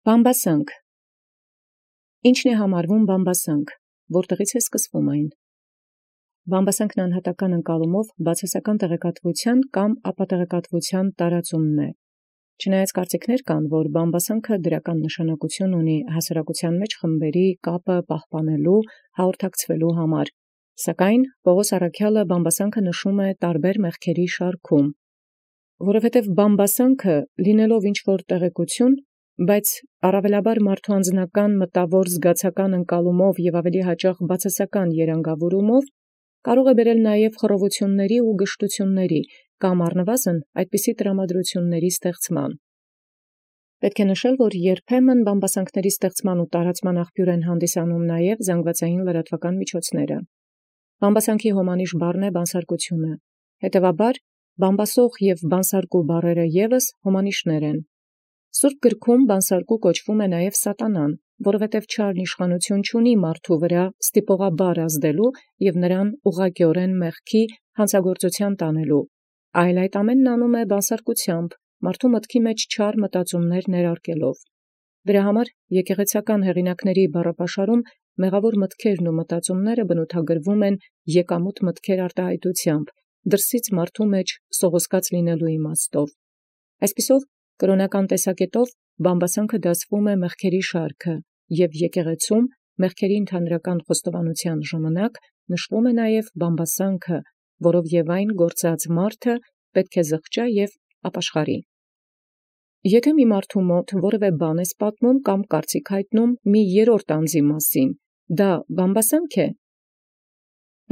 Բամբասանք։ Ի՞նչն է համարվում բամբասանք, որտեղից է սկսվում այն։ Բամբասանքն անհատական ընկալումով բացասական տեղեկատվության կամ ապատեղեկատվության տարածումն է։ Չնայած կարծիքներ կան, որ բամբասանքը դրական նշանակություն ունի հասարակության մեջ խմբերի կապը պահպանելու, հաղորդակցվելու համար, սակայն Պողոս առաքյալը բամբասանքը նշում է տարբեր մեղքերի շարքում, որովհետև բամբասանքը լինելով ինչ-որ տեղեկություն, բայց առավելաբար մարդու անձնական մտավոր զգացական ընկալումով և ավելի հաճախ բացասական երանգավորումով կարող է բերել նաև խռովությունների ու գժտությունների կամ առնվազն այդպիսի տրամադրությունների ստեղծման։ Պետք է նշել, որ երբեմն բամբասանքների ստեղծման ու տարածման աղբյուր են հանդիսանում նաև զանգվածային լրատվական միջոցները։ Բամբասանքի հոմանիշ բառն է բանսարկությունը, հետևաբար բամբասող և բանսարկու բառերը ևս հոմանիշներ են։ Սուրբ գրքում բանսարկու կոչվում է նաև սատանան, որովհետև չարն իշխանություն չունի մարդու վրա ստիպողաբար ազդելու և նրան ուղղակիորեն մեղքի հանցագործության տանելու, այլ այդ ամենն անում է բանսարկությամբ, մարդու մտքի մեջ չար մտածումներ ներարկելով։ Դրա համար եկեղեցական հեղինակների բառապաշարում մեղավոր մտքերն ու մտածումները բնութագրվում են եկամուտ մտքեր արտահայտությամբ, դրսից մարդու մեջ սողոսկած լինելու իմաստով։ Այսպիսով, կրոնական տեսակետով բամբասանքը դասվում է մեղքերի շարքը, և եկեղեցում մեղքերի ընդհանրական խոստովանության ժամանակ նշվում է նաև բամբասանքը, որով և այն գործած մարդը պետք է զղջա և ապաշխարի։ Եթե մի մարդու մոտ որևէ բան ես պատմում կամ կարծիք հայտնում մի երրորդ անձի մասին, դա բամբասանք է։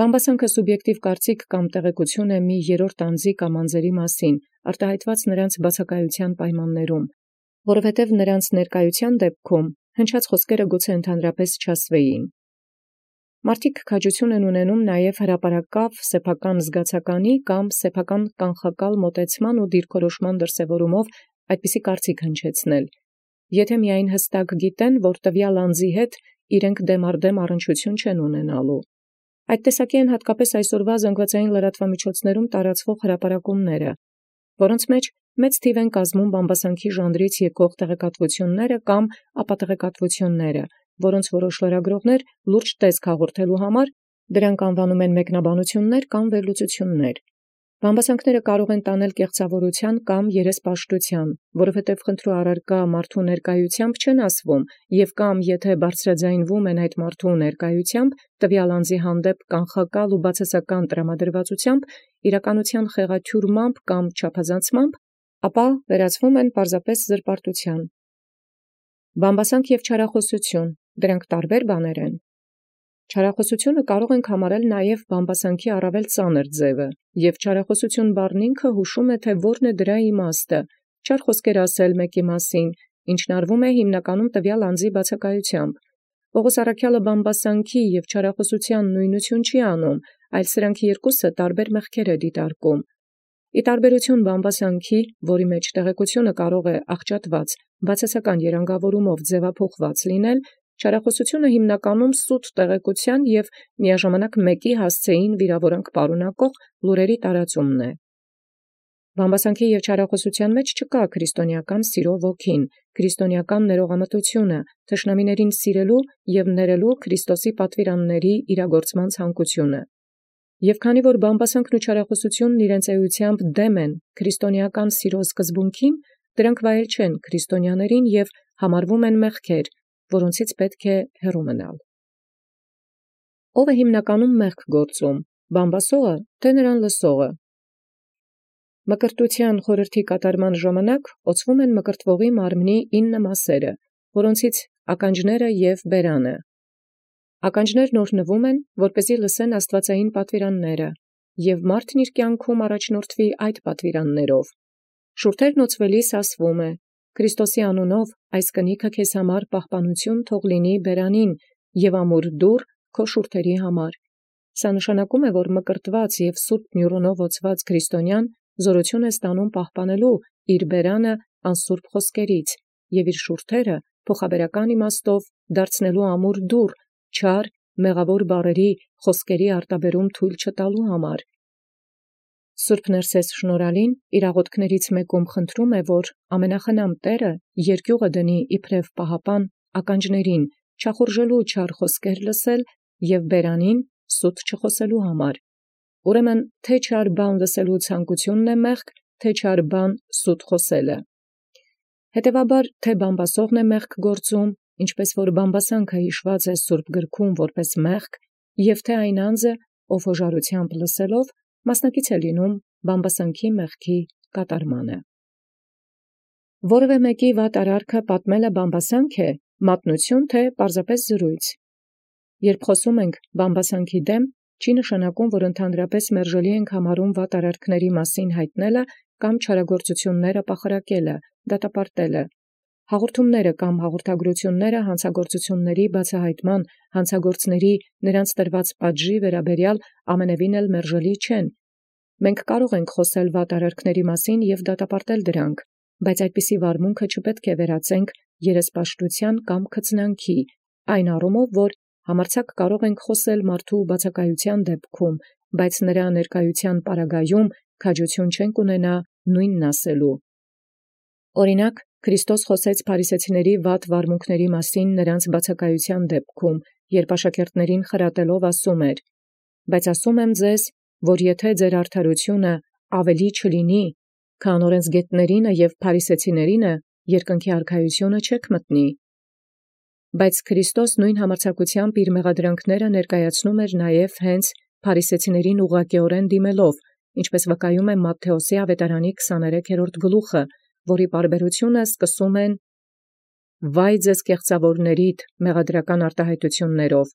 Բամբասանքը սուբյեկտիվ կարծիք կամ տեղեկություն է մի երրորդ անձի կամ անձերի մասին, արտահայտված նրանց բացակայության պայմաններում, որովհետև նրանց ներկայության դեպքում հնչած խոսքերը գուցե ընդհանրապես չասվեին։ Մարդիկ քաջություն են ունենում նաև հրապարակավ սեփական զգացականի կամ սեփական կանխակալ մոտեցման ու դիրքորոշման դրսևորումով այդպիսի կարծիք հնչեցնել, եթե միայն հստակ գիտեն, որ տվյալ անձի հետ իրենք դեմառդեմ առնչություն չեն ունենալու։ Այդ տեսակի են հատկապես այսօրվա զանգվածային լրատվամիջոցներում տարածվող հրապարակումները, որոնց մեջ մեծ թիվ են կազմում բամբասանքի ժանրից եկող տեղեկատվությունները կամ ապատեղեկատվությունները, որոնց որոշ լրագրողներ լուրջ տեսք հաղորդելու համար դրանք անվանում են մեկնաբանություններ կամ վերլուծություններ։ Բամբասանքները կարող են տանել կեղծավորության կամ երեսպաշտության, որովհետև խնդրու առարկա մարդու ներկայությամբ չեն ասվում, և կամ եթե բարձրաձայնվում են այդ մարդու ներկայությամբ, տվյալ անձի հանդեպ կանխակալ ու բացասական տրամադրվածությամբ, իրականության խեղաթյուրմամբ կամ չափազանցմամբ, ապա վերածվում են պարզապես զրպարտության։ Բամբասանք և չարախոսություն, դրանք տարբեր բաներ են։ Չարախոսությունը կարող ենք համարել նաև բամբասանքի առավել ծանր ձևը, և չարախոսություն բառն ինքը հուշում է, թե որն է դրա իմաստը, չար խոսքեր ասել մեկի մասին, ինչն արվում է հիմնականում տվյալ անձի բացակայությամբ։ Պողոս առաքյալը բամբասանքի և չարախոսության նույնություն չի անում, այլ սրանք երկուսը տարբեր մեղքեր է դիտարկում։ Ի տարբերություն բամբասանքի, որի մեջ տեղեկությունը կարող է աղճատված, բացասական երանգավորումով ձևափոխված լինել, չարախոսությունը հիմնականում սուտ տեղեկության և միաժամանակ մեկի հասցեին վիրավորանք պարունակող լուրերի տարածումն է։ Բամբասանքի և չարախոսության մեջ չկա քրիստոնեական սիրո ոգին, քրիստոնեական ներողամտությունը, թշնամիներին սիրելու և ներելու Քրիստոսի պատվիրանների իրագործման ցանկությունը։ Եվ քանի որ բամբասանքն ու չարախոսությունն իրենց էությամբ դեմ են քրիստոնեական սիրո սկզբունքին, դրանք վայել չեն քրիստոնյաներին և համարվում են մեղքեր, որոնցից պետք է հեռու մնալ։ Ո՞վ է հիմնականում մեղք գործում, բամբասողը, թե նրան լսողը։ Մկրտության խորհրդի կատարման ժամանակ օծվում են մկրտվողի մարմնի 9 մասերը, որոնցից ականջները և բերանը։ Ականջներն օրհնվում են, որպեսզի լսեն աստվածային պատվիրանները, և մարդն իր կյանքում առաջնորդվի այդ պատվիրաններով։ Շուրթերն օծվելիս ասվում է. «Քրիստոսի անունով այս կնիքը քեզ համար պահպանություն թող լինի բերանին և ամուր դուռ քո շուրթերի համար»։ Սա նշանակում է, որ մկրտված և սուրբ մյուրունով օծված քրիստոնյան զորություն է ստանում պահպանելու իր բերանը անսուրբ խոսքերից և իր շուրթերը փոխաբերական իմաստով դարձնելու ամուր դուռ, չար, մեղավոր բառերի, խոսքերի արտաբերում թույլ չտալու համար։ Սուրբ Ներսես շնորհալին իրաղոթքներից մեկում խնդրում է, որ ամենախնամ Տէրը երկյուղը դնի իբրև պահապան ականջներին, չախորժելու չար խոսքեր լսել և բերանին սուտ չխոսելու համար։ Ուրեմն թե չար բան լսելու ցանկութիւնն է մեղք, թե չար բան սուտ խոսելը։ Հետևաբար թե բամբասողն է մեղք գործում, ինչպես որ բամբասանքը յիշված է Սուրբ գրքում որպես մեղք, և թե այն անձը, ով հոժարութեամբ լսելով, մասնակից է լինում բամբասանքի մեղքի կատարմանը։ Որևէ մեկի վատ արարքը պատմելը բամբասանք է, մատնություն թե պարզապես զրույց։ Երբ խոսում ենք բամբասանքի դեմ, չի նշանակում, որ ընդհանրապես մերժելի ենք համարում վատ արարքների մասին հայտնելը կամ չարագործությունները պախարակելը, դատապարտելը։ Հաղորդումները կամ հաղորդագրությունները հանցագործությունների բացահայտման, հանցագործների նրանց տրված պատժի վերաբերյալ ամենևին էլ մերժելի չեն։ Մենք կարող ենք խոսել վատ արարքների մասին և դատապարտել դրանք, բայց այդպիսի վարմունքը չպետք է վերածենք երեսպաշտության կամ քծնանքի, այն առումով, որ համարձակ կարող ենք խոսել մարդու բացակայության դեպքում, բայց նրա ներկայության պարագայում քաջություն չենք ունենա նույնն ասելու։ Օրինակ, Քրիստոս խոսեց փարիսեցիների վատ վարմունքների մասին նրանց բացակայության դեպքում, երբ աշակերտներին խրատելով ասում էր. «Բայց ասում եմ ձեզ, որ եթե ձեր արդարությունը ավելի չլինի, քան օրենսգետներինը և փարիսեցիներինը, երկնքի արքայությունը չեք մտնի»։ Բայց Քրիստոս նույն համարձակությամբ իր մեղադրանքները ներկայացնում էր նաև հենց փարիսեցիներին ուղղակիորեն դիմելով, ինչպես վկայում է Մատթեոսի ավետարանի 23-րդ գլուխը, որի պարբերությունը սկսում են «Վայ ձեզ կեղծավորներիդ» մեղադրական արտահայտություններով։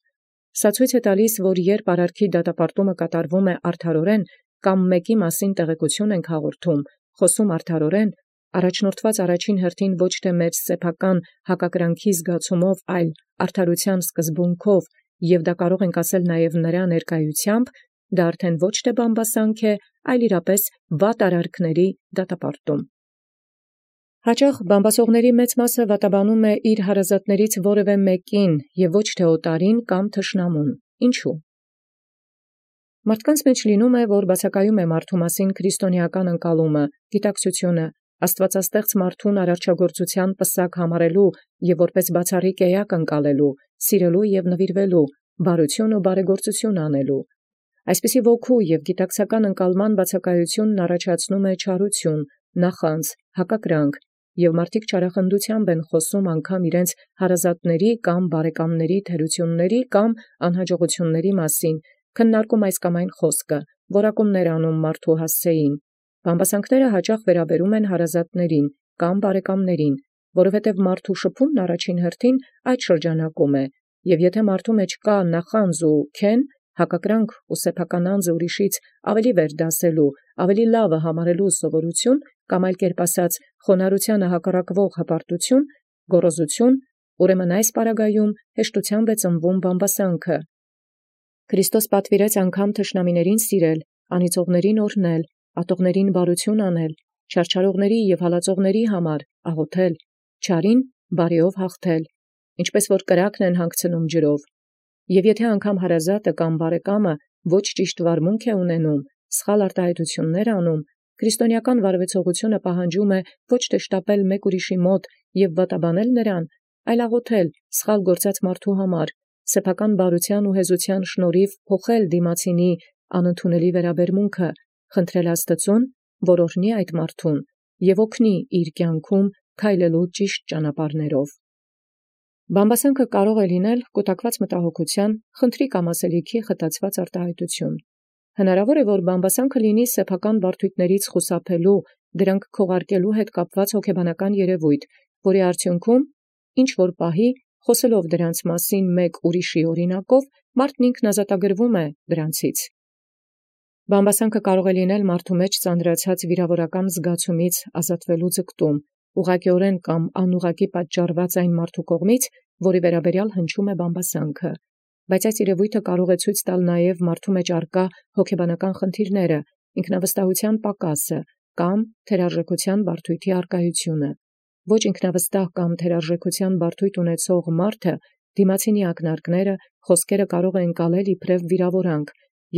Սա ցույց է տալիս, որ երբ արարքի դատապարտումը կատարվում է արդարորեն, կամ մեկի մասին տեղեկություն ենք հաղորդում, խոսում արդարորեն, առաջնորդված առաջին հերթին ոչ թե մեր սեփական հակակրանքի զգացումով, այլ արդարության սկզբունքով, և դա կարող ենք ասել նաև նրա ներկայությամբ, դա արդեն ոչ թե բամբասանք է, այլ իրապես վատ արարքների դատապարտում։ Հաճախ բամբասողների մեծ մասը վատաբանում է իր հարազատներից որևէ մեկին և ոչ թե օտարին կամ թշնամուն։ Ինչու՞։ Մարդկանց մեջ լինում է, որ բացակայում է մարդու մասին քրիստոնեական ընկալումը, գիտակցությունը, աստվածաստեղծ մարդուն արարչագործության պսակ համարելու և որպես բացառիկ էակ ընկալելու, սիրելու և նվիրվելու, բարություն ու բարեգործություն անելու։ Այսպիսի ոգու և գիտակցական ընկալման բացակայությունն առաջացնում է չարություն, նախանձ, հակակրանք, և մարդիկ չարախնդությամբ են խոսում անգամ իրենց հարազատների կամ բարեկամների թերությունների կամ անհաջողությունների մասին, քննարկում այս կամ այն խոսքը, որակումներ անում մարդու հասցեին։ Բամբասանքները հաճախ վերաբերում են հարազատներին կամ բարեկամներին, որովհետև մարդու շփումն առաջին հերթին այդ շրջանակում է, և եթե մարդու մեջ կա նախանձ ու քեն, հակակրանք ու սեփական անձը ուրիշից ավելի վեր դասելու, ավելի լավը համարելու սովորություն, կամ այլ կերպ ասած, խոնարհությանը հակառակվող հպարտություն, գոռոզություն, ուրեմն այս պարագայում հեշտությամբ է ծնվում բամբասանքը։ Քրիստոս պատվիրեց անգամ թշնամիներին սիրել, անիծողներին օրհնել, ատողներին բարություն անել, չարչարողների և հալածողների համար աղոթել, չարին բարիով հաղթել, ինչպես որ կրակն են հանգցնում ջրով։ Եվ եթե անգամ հարազատը կամ բարեկամը ոչ ճիշտ վարմունք է ունենում, սխալ արտահայտություններ անում, քրիստոնեական վարվեցողությունը պահանջում է ոչ թե շտապել մեկ ուրիշի մոտ և վատաբանել նրան, այլ աղոթել սխալ գործած մարդու համար, սեփական բարության ու հեզության շնորհիվ փոխել դիմացինի անընդունելի վերաբերմունքը, խնդրել Աստծուն, որ օրհնի այդ մարդուն և օգնի իր կյանքում քայլելու ճիշտ ճանապարհներով։ Բամբասանքը կարող է լինել կուտակված մտահոգության, խնդրի կամ ասելիքի խտացված արտահայտություն։ Հնարավոր է, որ բամբասանքը լինի սեփական բարդություններից խուսափելու, դրանք քողարկելու հետ կապված հոգեբանական երևույթ, որի արդյունքում ինչ որ պահի, խոսելով դրանց մասին մեկ ուրիշի օրինակով, մարդն ինքն ազատագրվում է դրանցից։ Բամբասանքը կարող է լինել մարդու մեջ ծանրացած վիրավորական զգացումից ազատվելու ձգտում, ուղղակիորեն կամ անուղղակի պատճառված այն մարդու կողմից, որի վերաբերյալ հնչում է բամբասանքը, բայց այս երևույթը կարող է ցույց տալ նաև մարդու մեջ առկա հոգեբանական խնդիրները, ինքնավստահության պակասը կամ թերարժեքության բարդույթի առկայությունը։ Ոչ ինքնավստահ կամ թերարժեքության բարդույթ ունեցող մարդը դիմացինի ակնարկները, խոսքերը կարող է ընկալել իբրև վիրավորանք,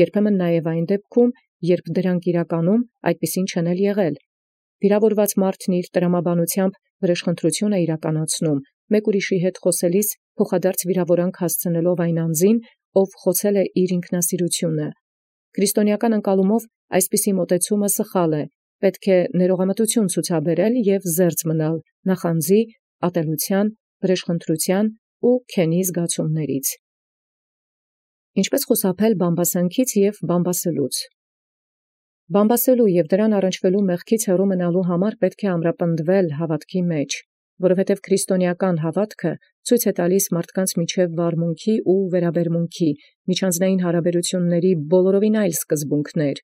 երբեմն նաև այն դեպքում, երբ դրանք իրականում այդպիսին չեն եղել։ Վիրավորված մարդն իր տրամաբանությամբ վրեժխնդրություն է իրականացնում, մեկ ուրիշի հետ խոսելիս փոխադարձ վիրավորանք հասցնելով այն անձին, ով խոցել է իր ինքնասիրությունը։ Քրիստոնեական ընկալումով այսպիսի մոտեցումը սխալ է, պետք է ներողամտություն ցուցաբերել և զերծ մնալ նախանձի, ատելության, վրեժխնդրության ու քենի զգացումներից։ Ինչպե՞ս խուսափել բամբասանքից և բամբասելուց։ Բամբասելու և դրան առնչվելու մեղքից հեռու մնալու համար պետք է ամրապնդվել հավատքի մեջ, որովհետև քրիստոնեական հավատքը ցույց է տալիս մարդկանց միջև վարմունքի ու վերաբերմունքի, միջանձնային հարաբերությունների բոլորովին այլ սկզբունքներ։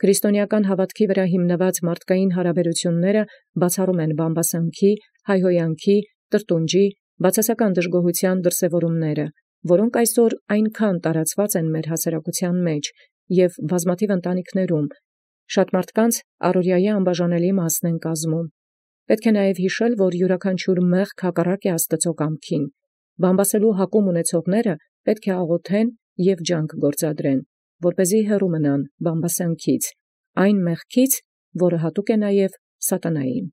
Քրիստոնեական հավատքի վրա հիմնված մարդկային հարաբերությունները բացառում են բամբասանքի, հայհոյանքի, տրտունջի, բացասական դժգոհության դրսևորումները, որոնք այսօր այնքան տարածված են մեր հասարակության մեջ և բազմաթիվ ընտանիքներում, շատ մարդկանց առօրյայի անբաժանելի մասն են կազմում։ Պետք է նաև հիշել, որ յուրաքանչյուր մեղք հակառակ է Աստծո կամքին։ Բամբասելու հակում ունեցողները պետք է աղոթեն և ջանք գործադրեն, որպեսզի հեռու մնան բամբասանքից, այն մեղքից, որը հատուկ է նաև սատանային։